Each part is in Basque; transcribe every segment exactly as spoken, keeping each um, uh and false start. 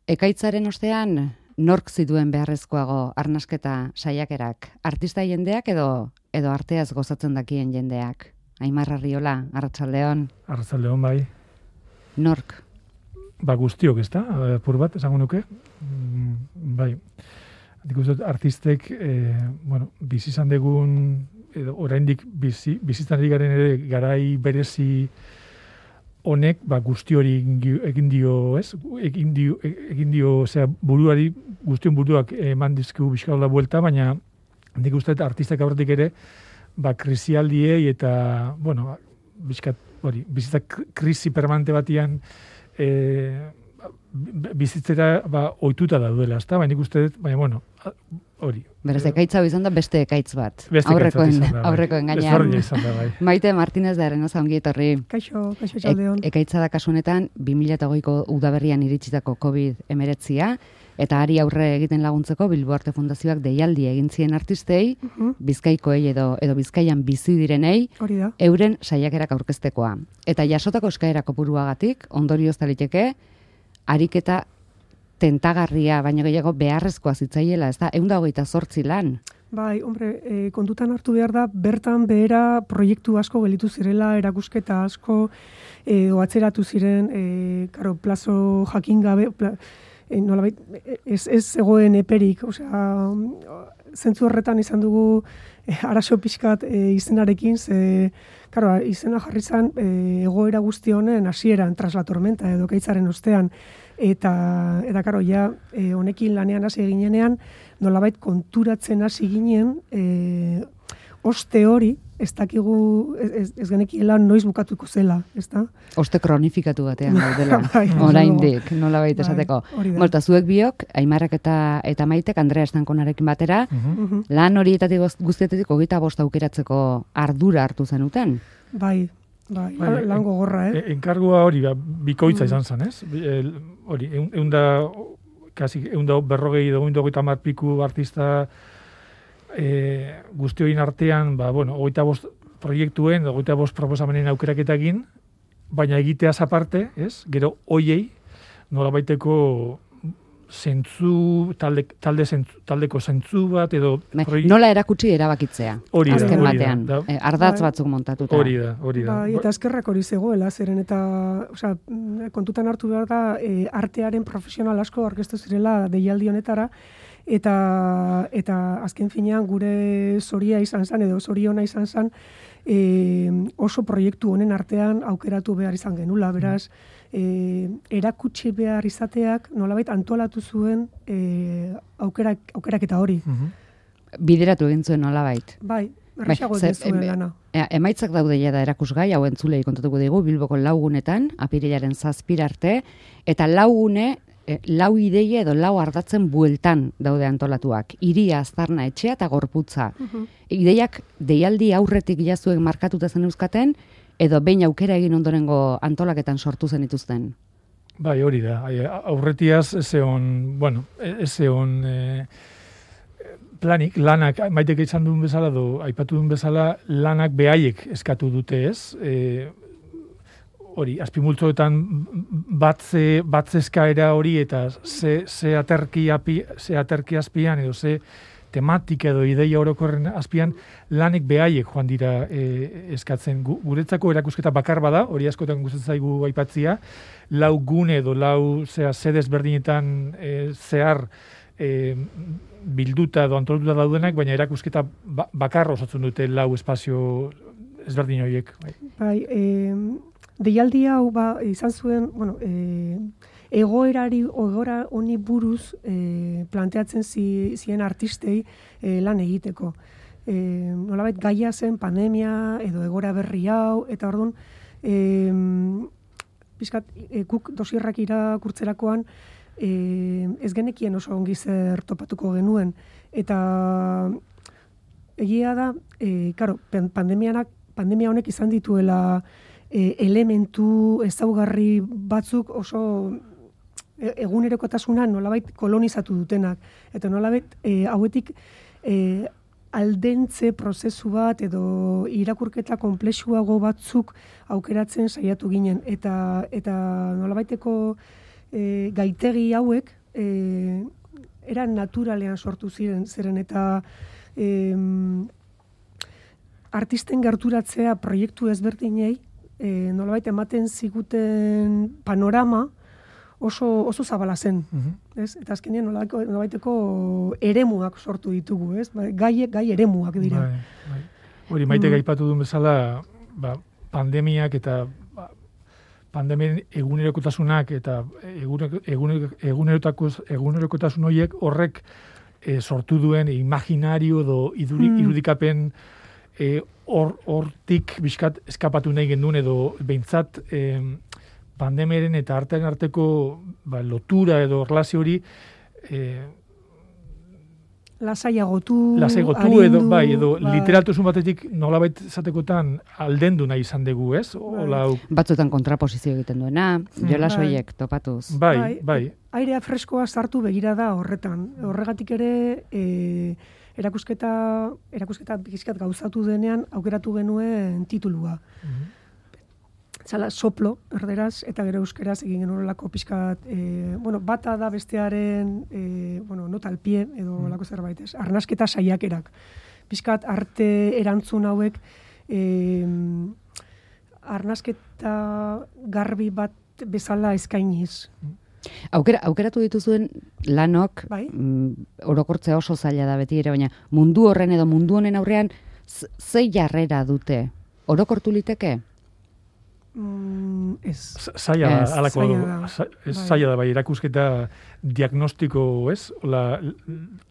Ekaitzaren ostean, nork zituen beharrezkoago arnasketa saiakerak? Artista jendeak edo edo arteaz gozatzen dakien jendeak? Aimar Arriola, Arratsaldeon. Arratsaldeon bai. Nork? Ba guztiok, ezta? Apur bat esango nuke. Mm, bai. Nik uste artistek, eh, bueno, bizi izan degun edo oraindik bizi bizitzan ari garen ere garai berezi honek, ba, guzti hori egin dio, ez? Egin dio, egin dio, osea, buruari, guztion buruak eman dizkigu bizkaula buelta, baina nik uste artistak aurretik ere, ba, krisialdiei eta, bueno, bizkat, hori, bizitza krisi permanente batian e, bizitzera, ba, ohituta daudela, ezta? Baina nik uste, baina, bueno, hori. Beraz, ekaitza izan da beste ekaitz bat. Beste aurrekoen, ekaitz bat aurrekoen bai. gainean. izan da, bai. Maite Martinez da Arenoza, ongi etorri. Kaixo, kaixo txaldeon. E, ekaitza da kasu honetan, bi mila hogeiko udaberrian iritsitako covid hemeretzia, eta ari aurre egiten laguntzeko Bilbo Arte Fundazioak deialdi egin zien artistei, uh -huh. Bizkaikoei edo edo Bizkaian bizi direnei, hori da, euren saiakerak aurkeztekoa. Eta jasotako eskaera kopuruagatik, ondorioz liteke, ariketa tentagarria, baina gehiago beharrezkoa zitzaiela, ez da, ehun eta hogeita zortzi lan. Bai, hombre, e, kontutan hartu behar da, bertan behera proiektu asko gelitu zirela, erakusketa asko, e, oatzeratu ziren, e, karo, plazo jakin gabe, pla, e, nolabait, ez, ez egoen eperik, osea, zentzu horretan izan dugu e, arazo pixkat e, izenarekin, ze, karo, izena jarri zen e, egoera guzti honen hasieran traslatormenta edo kaitzaren ostean, eta, eta karo, ja, e, honekin lanean hasi eginenean, nolabait konturatzen hasi ginen, e, oste hori, ez dakigu, ez, ez genekiela noiz bukatuko zela, ez da? Oste kronifikatu batean gaudela, bai, oraindik, nolabait esateko. Bai, Molta, zuek biok, Aimarrak eta, eta Maitek, Andrea Estankonarekin batera, uh -huh. lan horietatik guztietatik hogeita bost aukeratzeko ardura hartu zenuten? Bai, bai, bai lan gogorra, eh? Enkargua hori, ba, bikoitza izan zen, ez? Hori, egun da, kasi, egun da berrogei, egun da hogeita hamar piku artista e, guzti horien artean, ba, bueno, hogeita bost proiektuen, hogeita bost proposamenen aukeraketakin, baina egiteaz aparte, ez? Gero, hoiei, nolabaiteko zentzu, talde, talde zentzu, taldeko zentzu bat, edo... Proiekt... Nola erakutsi erabakitzea, hori da, azken hori batean, da, eh, ardatz batzuk montatuta. Hori da, hori da. Bai, eta eskerrak hori zegoela, zeren eta, osea, kontutan hartu behar da, e, artearen profesional asko aurkeztu zirela deialdi honetara, eta eta azken finean gure zoria izan zen, edo zoriona izan zen, e, oso proiektu honen artean aukeratu behar izan genula, beraz, e, erakutsi behar izateak nolabait antolatu zuen e, aukerak, aukeraketa hori. Uh-huh. Bideratu egin zuen nolabait. Bai, erraxago egin zuen lana. E, emaitzak daude ja da erakusgai, hau entzulei kontatuko digu, Bilboko laugunetan, apirilaren zazpira arte, eta laugune, e, lau ideia edo lau ardatzen bueltan daude antolatuak. Hiria, aztarna, etxea eta gorputza. Uh-huh. Ideiak deialdi aurretik jazuen markatuta zen euskaten, edo behin aukera egin ondorengo antolaketan sortu zen dituzten? Bai, hori da. Aurretiaz, ez egon, bueno, ez egon e, planik, lanak, Maitek izan duen bezala, do, aipatu duen bezala, lanak behaiek eskatu dute, ez? E, hori, azpimultzoetan batze, batze eskaera hori, eta ze, ze, aterki, api, ze aterki azpian, edo ze tematika edo ideia orokorren azpian, lanek behaiek joan dira e, eskatzen. Guretzako erakusketa bakar bada, hori askotan gustatzen zaigu aipatzia, lau gune edo lau zera, sedez berdinetan e, zehar e, bilduta edo antolatuta daudenak, baina erakusketa ba, bakar osatzen dute lau espazio ezberdin horiek. Bai, bai e, deialdi hau ba, izan zuen, bueno, e, egoerari, egoera honi buruz e, planteatzen zi, zien artistei e, lan egiteko. E, nolabait gaia zen pandemia edo egoera berri hau, eta orduan, e, pixkat, e, guk dosierrak irakurtzerakoan, e, ez genekien oso ongi zer topatuko genuen. Eta egia da, e, karo, pandemianak, pandemia honek izan dituela e, elementu ezaugarri batzuk oso egunerokotasuna nolabait kolonizatu dutenak. Eta nolabait e, hauetik e, aldentze prozesu bat edo irakurketa konplexuago batzuk aukeratzen saiatu ginen. Eta, eta nolabaiteko e, gaitegi hauek e, eran naturalean sortu ziren, zeren eta e, artisten gerturatzea proiektu ezberdinei e, nolabait ematen ziguten panorama oso, oso zabala zen. Uh-huh. Ez? Eta azkenean nolabaiteko, nolabaiteko eremuak sortu ditugu, ez? Gai, gai eremuak dira. Bai, bai. Hori, maite gaipatu duen bezala, ba, pandemiak eta ba, pandemien egunerokotasunak eta egunerokotasun horiek horrek e, sortu duen imaginario edo iduri, hmm. irudikapen hortik e, bizkat eskapatu nahi genduen edo behintzat e, pandemiaren eta artean arteko ba, lotura edo relazio hori e, lasaiagotu, lasaiagotu arindu, edo, bai, edo bai. literatusun batetik nolabait zatekotan aldendu nahi izan dugu, ez? Ola, batzutan kontraposizio egiten duena, jolas bai. Horiek topatuz. Bai, bai. bai. Airea freskoa sartu begirada horretan. Horregatik ere e, erakusketa, erakusketa bizkat gauzatu denean aukeratu genuen titulua. Mm-hmm. Zala, soplo, erderaz, eta gero euskeraz egin genuen pixkat, e, bueno, bata da bestearen, e, bueno, nota al pie, edo mm. lako zerbait, ez? Arnasketa saiakerak. Pixkat arte erantzun hauek, e, arnasketa garbi bat bezala eskainiz. Aukera, aukeratu dituzuen lanok, bai? mm, orokortzea oso zaila da beti ere, baina mundu horren edo mundu honen aurrean, ze jarrera dute? Orokortu liteke? Mm, ez. Zaila da, alako, bai. zaila da, bai, erakusketa diagnostiko, ez? Ola,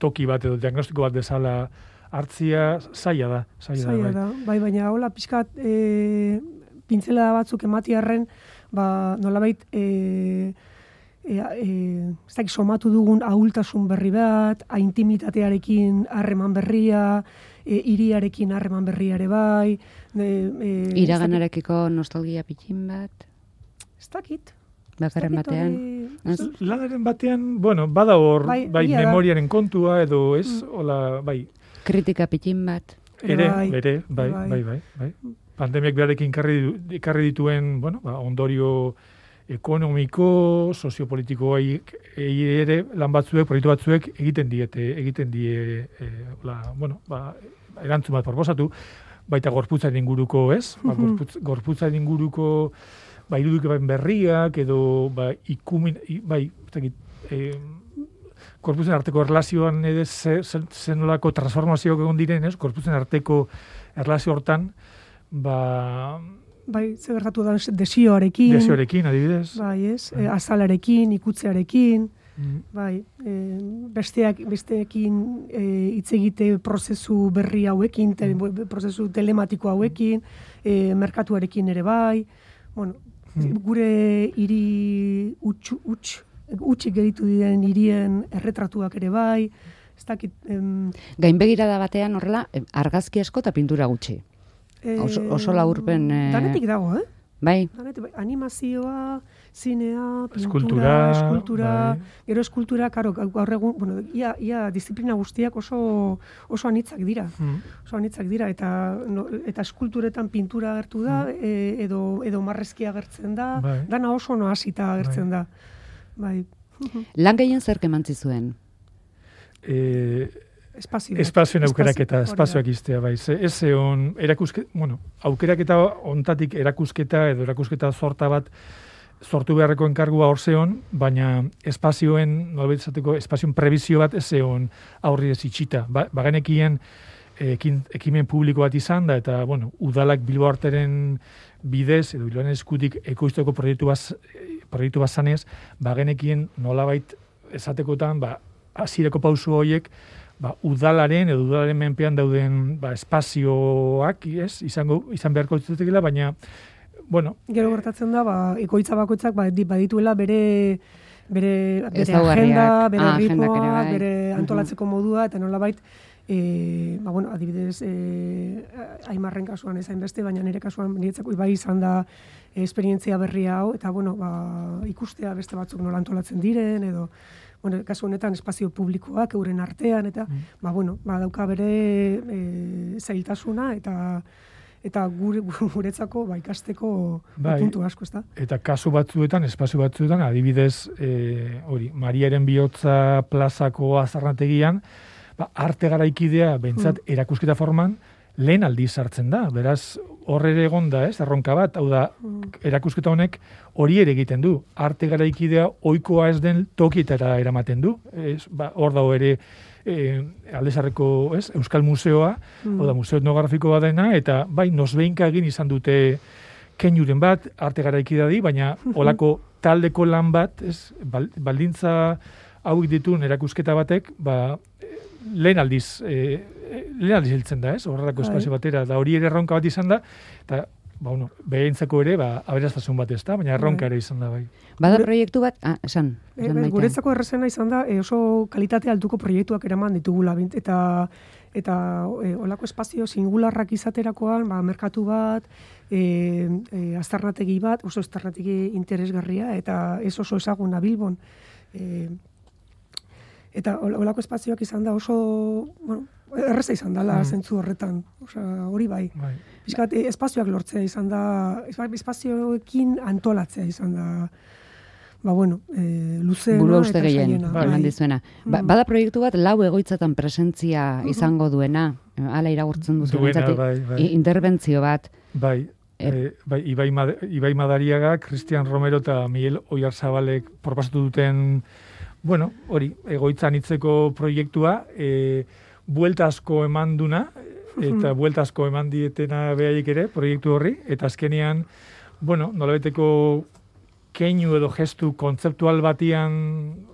toki bat edo diagnostiko bat bezala hartzia, zaila da. Zaila, zaila da, bai. bai, baina hola pixkat e, pintzela batzuk ematiarren, ba, nolabait, e, e, e, ez dakit somatu dugun ahultasun berri bat, intimitatearekin harreman berria, E, iriarekin harreman berriare bai. E, e, iraganarekiko nostalgia pitxin bat? Ez dakit. Bakarren batean? Lanaren batean, bueno, bada hor, bai, bai memoriaren da. Kontua, edo ez, mm. hola, bai. Kritika pitxin bat? Ere, bai, ere, bai, bai, bai, bai, bai. Pandemiak beharekin karri dituen, bueno, ba, ondorio ekonomiko, soziopolitikoa ere lan batzuek, proiektu batzuek egiten diete, egiten die, e, la, bueno, ba, erantzun bat proposatu, baita gorputzaren inguruko, ez? Ba, gorputz, gorputzaren inguruko, ba, irudikapen berriak, edo, ba, ikumin, bai, e, gorputzen arteko erlazioan edo zenolako transformazioak egon diren, ez? Gorputzen arteko erlazio hortan, ba, bai, ze gertatu da desioarekin. Desioarekin, adibidez. Bai, ez, e, azalarekin, ikutzearekin, mm. bai, e, besteak, besteekin e, hitz egite prozesu berri hauekin, te, mm. prozesu telematiko hauekin, e, merkatuarekin ere bai, bueno, mm. gure hiri utx, utx, utxik geritu diren hirien erretratuak ere bai, ez dakit... Em, gainbegirada batean horrela, argazki asko eta pintura gutxi. Oso, oso laburpen... Eh... Danetik dago, eh? Bai. Danetik, bai. Animazioa, zinea, pintura, eskultura, eskultura, bai. Gero eskultura, karo, gaur egun, bueno, ia, ia disiplina guztiak oso, oso anitzak dira. Mm. Oso anitzak dira, eta, no, eta eskulturetan pintura agertu da, mm. e, edo, edo marrezkia agertzen da, bai. Dana oso noasita agertzen bai. Da. Bai. Lan gehien zer kemantzi zuen? Eh... Espazioak. Espazioen aukeraketa, espazioak iztea, bai. Ez egon, erakusketa, bueno, aukeraketa ontatik erakusketa edo erakusketa sorta bat sortu beharreko enkargua hor zeon, baina espazioen, nolabait izateko, espazioen prebizio bat ez egon aurri ez itxita. Ba, bagenekien ekin, ekimen publiko bat izan da, eta, bueno, udalak Bilbo Arteren bidez, edo Bilboaren eskutik ekoizteko proiektu bat, proiektu bat zanez, bagenekien nolabait esatekotan, ba, hasierako pauso horiek, ba, udalaren edo udalaren menpean dauden ba, espazioak, ez, izango, izan beharko dituztekela, baina, bueno... Gero gertatzen da, ba, ekoitza bakoitzak ba, badituela bere, bere, bere agenda, bere ah, ritmoa, bai. bere antolatzeko modua, eta nolabait, e, ba, bueno, adibidez, e, Aimarren kasuan ezain beste, baina nire kasuan niretzako bai izan da esperientzia berria hau, eta, bueno, ba, ikustea beste batzuk nola antolatzen diren, edo... Bueno, kasu honetan espazio publikoak euren artean eta mm. ba bueno, ba dauka bere e, zailtasuna eta eta gure, guretzako ba, ikasteko bai, puntu asko, ez da? Eta kasu batzuetan, espazio batzuetan, adibidez, e, hori, Mariaren bihotza plazako azarnategian, ba, arte garaikidea, bentsat, mm. erakusketa forman, lehen aldiz sartzen da. Beraz, hor ere egon da, ez, erronka bat, hau da, mm. erakusketa honek hori ere egiten du. Arte garaikidea ohikoa ez den tokietara eramaten du. Ez, ba, hor dago ere, E, Aldezarreko, ez, Euskal Museoa, mm. oda, museo etnografikoa dena, eta bai, nosbeinka egin izan dute keinuren bat, arte garaikidadi, baina olako taldeko lan bat, ez, baldintza hauek dituen erakusketa batek, ba, lehen aldiz, e, lehen aldiz hiltzen da, ez, horrelako espazio batera, da hori ere erronka bat izan da, eta ba, bueno, behintzako ere, ba, aberaztasun bat ez da, baina erronka ere izan da, bai. Bada proiektu bat, ah, esan. E, e, guretzako errezena izan da, e, oso kalitate altuko proiektuak eraman ditugula, eta eta e, olako espazio singularrak izaterakoan, ba, merkatu bat, e, e, aztarnategi bat, oso aztarnategi interesgarria, eta ez oso ezaguna Bilbon. E, eta olako espazioak izan da oso, bueno, erreza izan dela mm. zentzu horretan, osea, hori bai. bai. Piskat, espazioak lortzea izan da, espazioekin antolatzea izan da, ba, bueno, e, luzeena eta saiena. Bai. Dizuena. Ba, bada proiektu bat, lau egoitzatan presentzia uh-huh. izango duena, hala iragurtzen duzu. Duena, bai, bai. Interbentzio bat. Bai, e, bai Ibai, Mad- Ibai Madariaga, Cristian Romero eta Miguel Oyarzabalek proposatu duten, bueno, hori, egoitzan hitzeko proiektua, e, buelta asko eman duna, eta buelta asko eman dietena behaiek ere, proiektu horri, eta azkenean, bueno, nolabeteko keinu edo gestu kontzeptual batian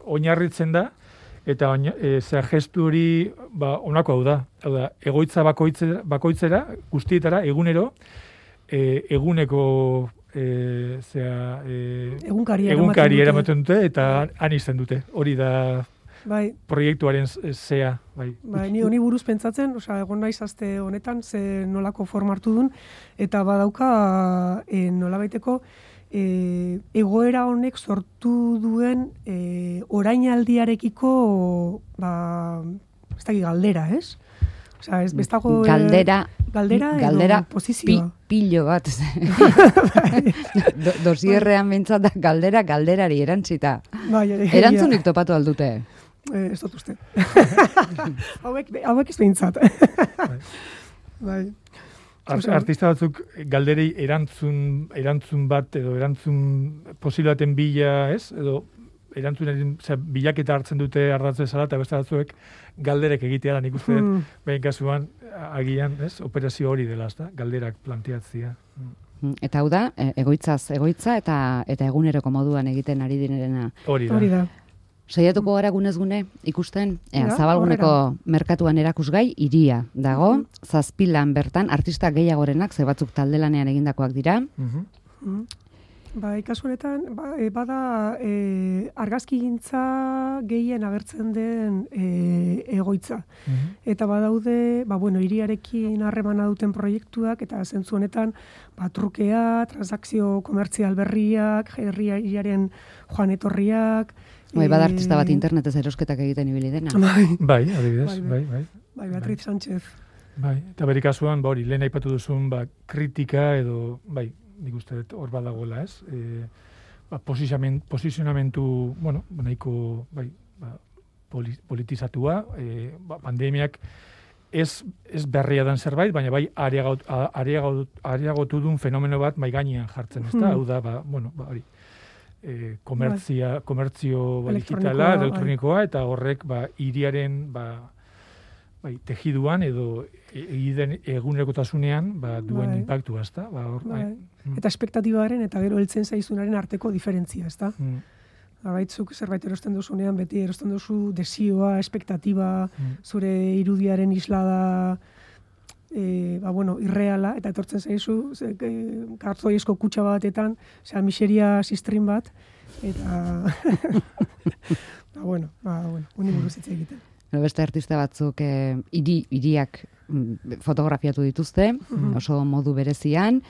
oinarritzen da, eta oina, e, zera gestu hori, ba, onako hau da, hau da, egoitza bakoitzera, bakoitzera guztietara, egunero, e, eguneko e, zera, e, egunkari egunkari eramaten dute, eta han izten dute, hori da, bai. Proiektuaren zea, bai. Bai, ni honi buruz pentsatzen, osea, egon naiz aste honetan ze nolako forma hartu dun, eta badauka e, nolabaiteko e, egoera honek sortu duen e, orainaldiarekiko ba, ez dakit galdera, ez? Osea, ez bestago galdera, galdera, galdera edo posizioa. Pi, pillo bat. Do, dosierrean bintzat da galdera galderari erantzita. Bai, erantzunik topatu aldute. Eh, ez dut uste. hauek, hauek ez behintzat. bai. Art, artista batzuk galderei erantzun, erantzun bat edo erantzun posibilaten bila, ez? Edo erantzunaren bilaketa hartzen dute ardatz bezala, eta beste batzuek galderek egitea da, nik uste dut, mm. behin kasuan, agian, ez? Operazio hori dela, ez da? Galderak planteatzea. Mm. Eta hau da, egoitzaz egoitza eta eta eguneroko moduan egiten ari direna. Hori da. Hori da. Saiatuko gara gunez gune ikusten, ea, ja, Zabalguneko horrela. Merkatuan erakusgai iria dago, mm-hmm. zazpilan bertan, artista gehiagorenak, ze batzuk taldelanean egindakoak dira. Mm-hmm. Mm-hmm. Ba, ikasu honetan, ba, e, bada e, argazkigintza gehien agertzen den e, egoitza. Mm-hmm. Eta badaude, ba, bueno, iriarekin harremana duten proiektuak, eta zentzu honetan, ba, trukea, transakzio komertzial berriak, herriaren joan etorriak, Bai, bada artista bat internetez erosketak egiten ibili dena. Bai, bai, adibidez, bai, bai. Bai, Beatriz bai. Sánchez. Bai, eta bere kasuan, ba hori, lehen aipatu duzun, ba, kritika edo, bai, nik uste dut hor badagoela, ez? E, ba, posizionamentu, bueno, nahiko, bai, ba, politizatua, e, ba, pandemiak ez, ez berria den zerbait, baina bai, areagotu, areagotu, areagotu duen fenomeno bat mai gainean jartzen, ez da? Hmm. Hau da, ba, bueno, ba, hori. E, komertzia, bai. Komertzio ba, digitala, elektronikoa, bai. Eta horrek ba, iriaren ba, bai, tejiduan edo egiten egunerokotasunean ba, duen bai. Impactua, ezta? Ba, hor, bai. Bai. Eta espektatibaren eta gero heltzen zaizunaren arteko diferentzia, ezta? Mm. Abaitzuk zerbait erosten duzunean, beti erosten duzu desioa, espektatiba, mm. zure irudiaren islada, E, ba, bueno, irreala, eta etortzen zaizu, e, kartzoiezko kutxa batetan, zera, miseria sistrin bat, eta, ba, bueno, ba, bueno, uni buruz hitz egiten. Beste artista batzuk e, iri, iriak fotografiatu dituzte, mm-hmm. oso modu berezian,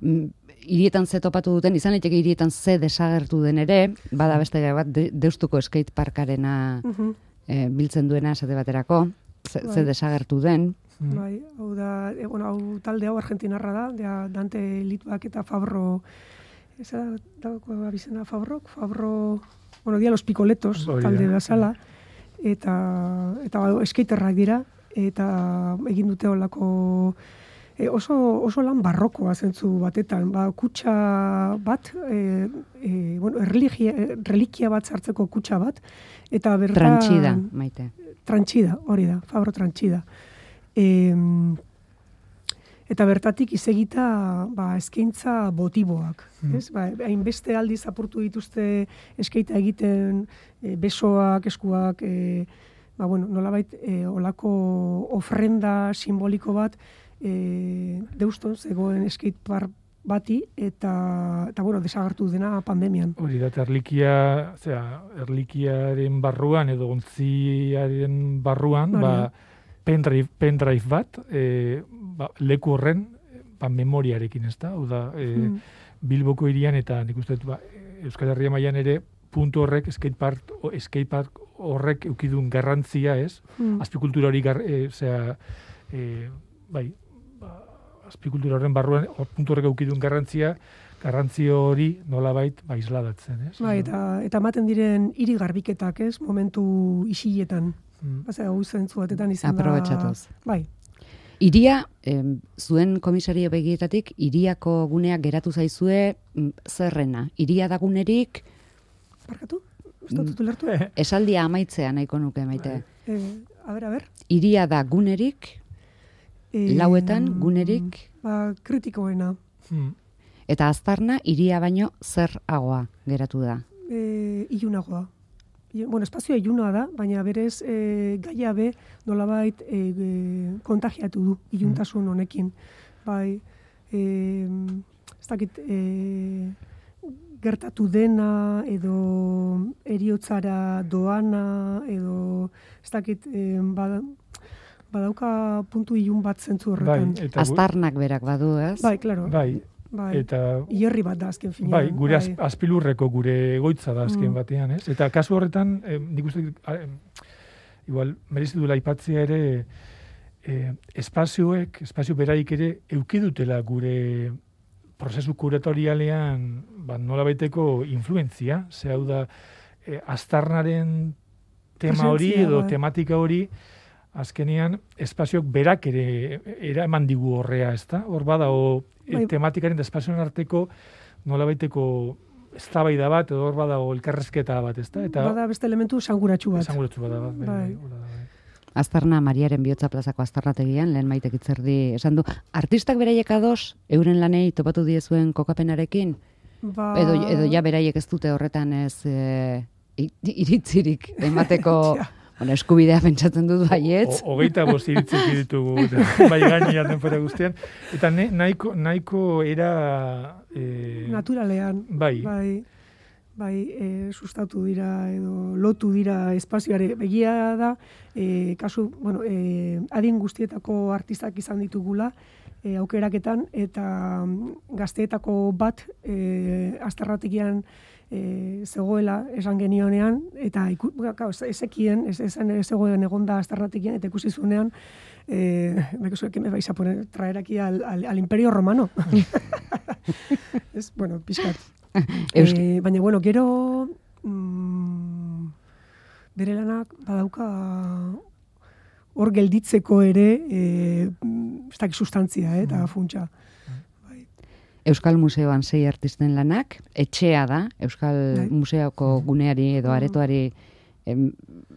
hirietan ze topatu duten, izan liteke hirietan ze desagertu den ere, bada beste bat, de, Deustuko skateparkarena mm-hmm. e, biltzen duena esate baterako, ze, ze desagertu den. Mm. Bai, hau da, e, bueno, hau talde hau argentinarra da, da Dante Litvak eta Fabro, eza da, da bizena Fabrok, Fabro, bueno, dia los Picoletos Hori da. talde bezala, eta, eta ba, skaterrak dira, eta egin dute olako e, oso, oso lan barrokoa zentzu batetan, ba, kutxa bat, e, e, bueno, religia, relikia bat sartzeko kutxa bat, eta bertan... Tranchida, Maite. Tranchida, hori da, Fabro Tranchida. E, eta bertatik izegita ba, eskaintza botiboak. Mm. Ez? Ba, hainbeste aldiz apurtu dituzte eskaita egiten e, besoak, eskuak, e, ba, bueno, nolabait e, olako ofrenda simboliko bat e, deuston zegoen skatepark bati eta, eta bueno, desagertu dena pandemian. Hori da, eta erlikia, zera, erlikiaren barruan edo ontziaren barruan, Hori da. ba, pendrive, pendrive bat, e, ba, leku horren ba, memoriarekin, ez da? Hau da, e, Mm. Bilboko hirian eta nik uste dut, ba, Euskal Herria mailan ere puntu horrek, skatepark, o, skatepark horrek eukidun garrantzia, ez? Mm. Azpikultura hori, gar, e, zera, e, bai, ba, azpikultura horren barruan, hor puntu horrek eukidun garrantzia, garrantzio hori nolabait ba, isladatzen, ez? Bai, eta, eta ematen diren hiri garbiketak, ez, momentu isiletan. Mm. Baza, hau zentzu batetan izan da... Aprobetxatuz. Bai. Iria, em, zuen komisario begietatik, iriako guneak geratu zaizue mm, zerrena. Iria da gunerik, Barkatu? Ez dut ulertu? esaldia amaitzea nahiko nuke, Maite. Eh, a ber, a ber. Iria da gunerik, Eh, lauetan gunerik, Ba, kritikoena. Mm. eta aztarna iria baino zeragoa geratu da. E, ilunagoa. I- Bueno, espazioa iluna da, baina berez e, gaia be nolabait e, e, kontagiatu du iluntasun honekin. Bai, e, ez dakit, e, gertatu dena, edo eriotzara doana, edo ez dakit, e, bada, badauka puntu ilun bat zentzu horretan. Bai, eta gu- Aztarnak berak badu, ez? Bai, claro. bai, Bai. eta Hierri bat da azken finean. bai, gure az, azpilurreko gure egoitza da azken Mm. batean, ez? Eta kasu horretan, eh, nik uste, dut, ah, em, igual, merezi duela aipatzea ere, eh, espazioek, espazio beraik ere, eukidutela gure prozesu kuratorialean, ba, nolabaiteko influentzia, ze hau da, eh, aztarnaren tema hori Presentzia, edo bai. tematika hori, azkenean, espazioak berak ere eraman digu horrea, ezta? Hor bada, o, e, Bai. tematikaren da espazioen arteko nolabaiteko eztabaida bat, edo hor bada, o, elkarrezketa bat, ezta? Eta Bada beste elementu sanguratsu bat. esanguratsu bada bat, bai, Bai. bai, hola da, bai. Aztarna Mariaren Bihotza plazako aztarnategian, lehen Maitek Itzerdi esan du, artistak beraiek ados, euren lanei topatu diezuen kokapenarekin, Ba, edo, edo ja beraiek ez dute horretan ez e, i- iritzirik emateko Ja. bueno, eskubidea pentsatzen dut baietz. O- Hogeita bost iritzik ditugu, eta bai gainean denbora guztian. Eta ne, nahiko, nahiko era... Eh, naturalean. bai, Bai, bai e, sustatu dira edo lotu dira espazioare. Begia da, e, kasu, bueno, e, adin guztietako artistak izan ditugula, e, aukeraketan, eta mm, gazteetako bat e, azterrategian e, zegoela esan genionean, eta iku, gau, ez- ezekien, ez, esan ez zegoen egonda azterrategian, eta ikusi zuenean, eh, me que me vais a poner, traer aquí al, al, al Imperio Romano. Es, bueno, pixkat. Eus- Eh, baina, bueno, gero mm, bere lanak badauka hor gelditzeko ere eh, mm, ez dakit sustantzia, eh, eta funtsa. Euskal Museoan sei artisten lanak, etxea da, Euskal Bai. Museoko guneari edo Mhm. aretoari em,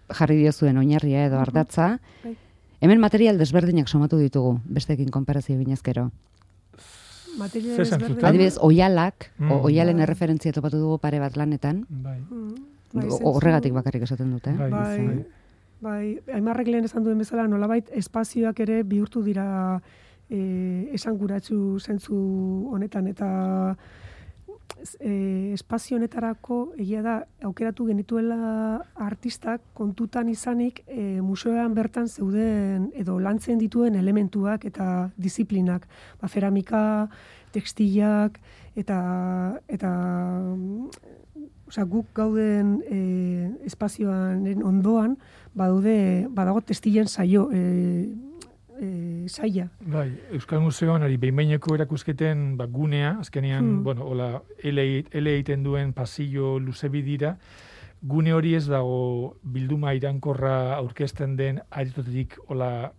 jarri diozuen oinarria edo ardatza. Bai. Hemen material desberdinak somatu ditugu, besteekin konparazio binezkero. Material Zer ezberdin- zentzutan? Adibidez, oialak, Mm. o, oialen Bai. erreferentzia topatu dugu pare bat lanetan, bai, Mm, bai, O- zentzu- horregatik bakarrik esaten dute. bai, Bai, bai. bai, Aimarrek lehen esan duen bezala, nolabait espazioak ere bihurtu dira e, esanguratsu zentzu honetan, eta e, espazio honetarako egia da aukeratu genituela artistak kontutan izanik e, museoan bertan zeuden edo lantzen dituen elementuak eta disiplinak, ba, ceramika, tekstilak eta eta mm, osea, guk gauden e, espazioaren ondoan badaude badago testilen saio e, e, saia. Bai, Euskal Museoan ari behin-behineko erakusketen ba, gunea, azkenean, Hmm. bueno, hola, ele ele egiten duen pasillo luze bidira, gune hori ez dago bilduma irankorra aurkezten den aretotetik hola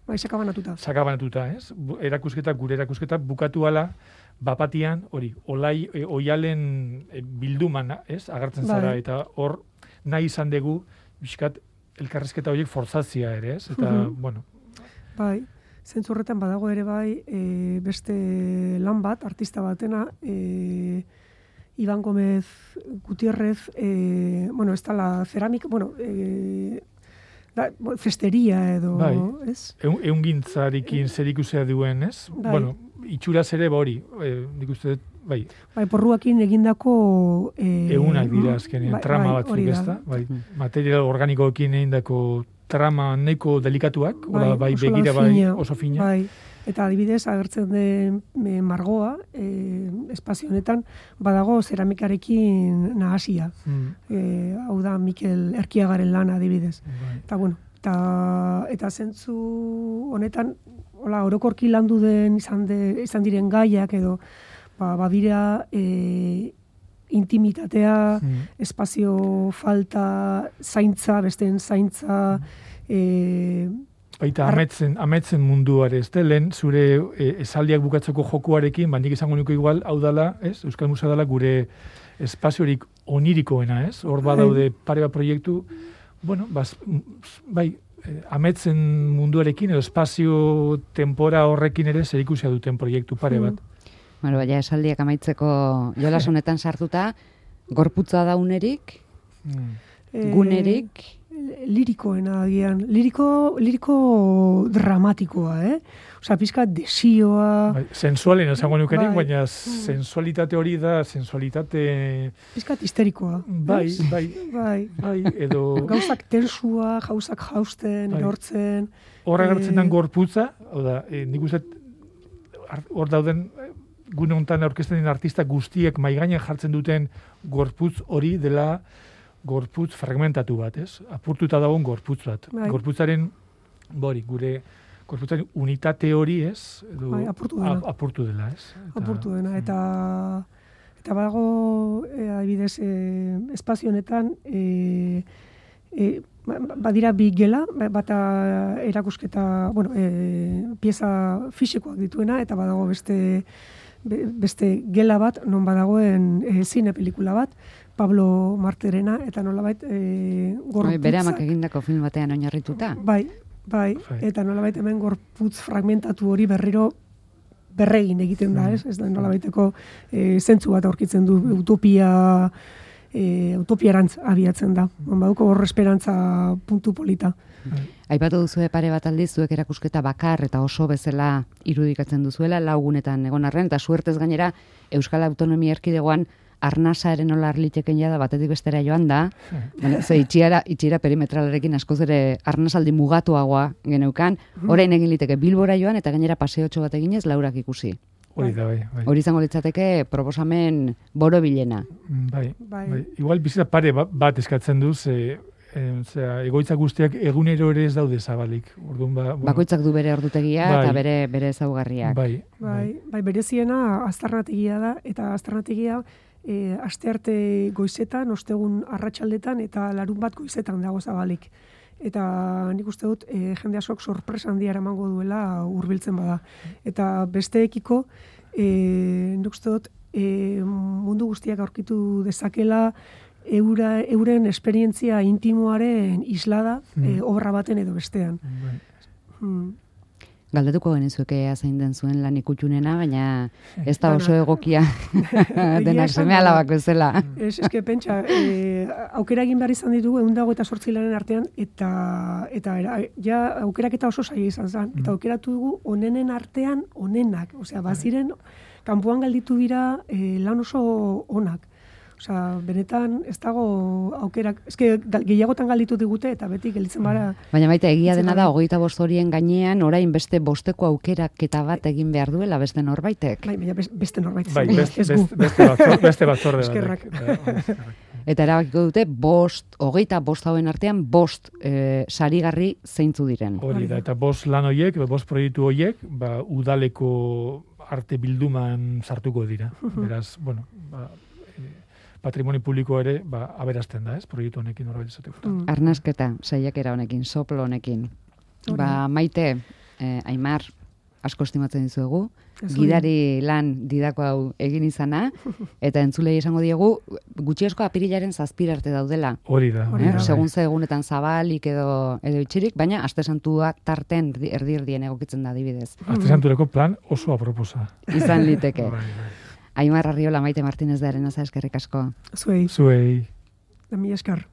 Bai, sakabanatuta. sakabanatuta, ez? Bu- Erakusketa, gure erakusketa bukatu ala, bapatian, hori, olai, e, oialen e, bilduman, ez? Agertzen zara, Bai. eta hor nahi izan dugu, bizkat, elkarrizketa horiek forzatzia ere, ez? Eta, Mhm. bueno, Bai, zentzu horretan badago ere bai e, beste lan bat, artista batena, e, Iban Gomez Gutierrez, e, bueno, ez dala ceramika, bueno, e, da, bo- festeria edo, Bai. ez? eun, eungintzarekin zerikusia duen, ez? Bai. Bueno, itxuraz ere, ba hori, e, nik uste dut, bai, Bai, porruakin egindako... E, egunak dira azkenean, bai, trama bai, batzuk, hori da. ezta? Bai, material organikoekin egindako trama nahiko delikatuak, bai, bai oso lan begira, bai, fina, oso fina. Bai. Eta adibidez, agertzen den e, margoa, e, espazio honetan, badago zeramikarekin nahasia. Mm, E, hau da, Mikel Erkiagaren lana adibidez. bai. Eta, bueno, eta, eta zentzu honetan, hola, orokorki landu den izan, de, izan diren gaiak edo, ba, badira e, intimitatea, Mm. espazio falta, zaintza, besteen zaintza, e, Baita Ar- ametzen, ametzen munduare, ez da, lehen zure e, esaldiak bukatzeko jokuarekin, ba, nik izango nuke igual, hau dala, ez, Euskal Musea dala gure espaziorik onirikoena, ez, hor badaude pare bat proiektu, bueno, bas, bai, eh, ametzen munduarekin, edo espazio tempora horrekin ere zerikusia duten proiektu pare bat. Bueno, baina esaldiak amaitzeko jolas honetan sartuta, gorputza daunerik, Mm. e, gunerik, lirikoena agian, liriko, liriko dramatikoa, eh? Osa, pizka desioa, Bai, sensualen esango nukenik, Bai. baina sensualitate hori da, sensualitate, pizka histerikoa. bai, ez? bai, Bai. bai, edo Gauzak tensua, gauzak jausten, Bai. erortzen. hor agertzen den eh, gorputza, hau da, e, nik uste ar- hor dauden eh, gune honetan aurkezten den artista guztiek maigainan jartzen duten gorputz hori dela gorputz fragmentatu bat, ez? Apurtuta dagoen gorputz bat. Bai. Gorputzaren, bori, gure gorputzaren unitate hori, ez? Edo, Bai, apurtu dela. ap- apurtu dela, ez? Eta- apurtu dena, eta eta badago, e, adibidez, e, espazio honetan, e, e, ba- badira bi gela, ba- bata erakusketa, bueno, e, pieza fisikoak dituena, eta badago beste be- beste gela bat, non badagoen e, zine pelikula bat, Pablo Marterena, eta nolabait e, bai, bere amak gorputzak- egindako film batean oinarrituta. Bai, bai, Bai. eta nolabait hemen gorputz fragmentatu hori berriro berregin egiten da, ez? Ez da nolabaiteko e, zentzu bat aurkitzen du utopia e, utopiarantz abiatzen da. Baduko hor esperantza puntu polita. Aipatu duzu pare bat aldiz zuek erakusketa bakar eta oso bezala irudikatzen duzuela laugunetan egon arren, eta suertez gainera Euskal Autonomia Erkidegoan arnasaren nola arliteken jada batetik bestera joan da, bueno, ze itxiera, itxiera perimetralarekin askoz ere arnasaldi mugatuagoa geneukan, orain egin liteke Bilbora joan eta gainera paseotxo bat eginez laurak ikusi. Hori da, bai, bai. Hori izango litzateke proposamen borobilena. Bai, Bai. bai. Igual bizita pare ba- bat eskatzen du, ze, e, zera, egoitza guztiak egunero ere ez daude zabalik. Orduan, ba, bueno, Bakoitzak du bere ordutegia Bai. eta bere bere ezaugarriak. Bai, Bai, bai bereziena aztarnategia da, eta aztarnategia e, astearte goizetan, ostegun arratsaldetan eta larun bat goizetan dago zabalik. Eta nik uste dut e, jende askok sorpresa handia eramango duela hurbiltzen bada. Eta besteekiko e, nik uste dut e, mundu guztiak aurkitu dezakela eura, euren esperientzia intimoaren islada e, obra baten edo bestean. bai. Hmm. Galdetuko genizueke ea zein den zuen lan ikutxunena, baina ez da oso Dana. egokia Egia denak esan, seme alabak bezala. Ez, eske pentsa, e, aukera egin behar izan ditugu ehun eta zortzi lanen artean, eta eta era, ja aukeraketa oso zaila izan zen. Eta aukeratu dugu onenen artean onenak. Osea, baziren, kanpoan galditu dira e, lan oso onak. Osea, benetan ez dago aukerak, eske gal- gehiagotan galditu digute eta beti gelditzen bara. Baina baita egia dena da, Bai. hogeita bost horien gainean, orain beste bosteko aukeraketa bat egin behar duela beste norbaitek. Bai, baina bes- beste norbait. Bai, izango da, beste, ez gu. beste, beste, batzor, beste batzorde Eskerrak. batek. Bai, bai, eskerrak. Eta erabakiko dute bost, hogeita bost hauen artean bost e, sarigarri zeintzu diren. Hori da, eta bost lan hoiek, bost proiektu hoiek, ba, udaleko arte bilduman sartuko dira. Beraz, bueno, ba, e, patrimonio publiko ere, ba, aberazten da, ez, proiektu honekin horbait esateko. Mm. Arnasketa, saiakera honekin, soplo honekin. Ba, Maite, eh, Aimar, asko estimatzen dizuegu, gidari lan didako hau egin izana, eta entzulei esango diegu, gutxiesko apirilaren zazpira arte daudela. Hori da. Eh? Segun ze egunetan zabalik edo, edo itxirik, baina aste santua tarten erdi-erdien egokitzen da adibidez. Aste santureko plan oso aproposa. Izan liteke. Bai, bai. Aimar Arriola, Maite Martínez de Arenaza, eskerrik asko. Zuei. Zuei. Da mi eskar.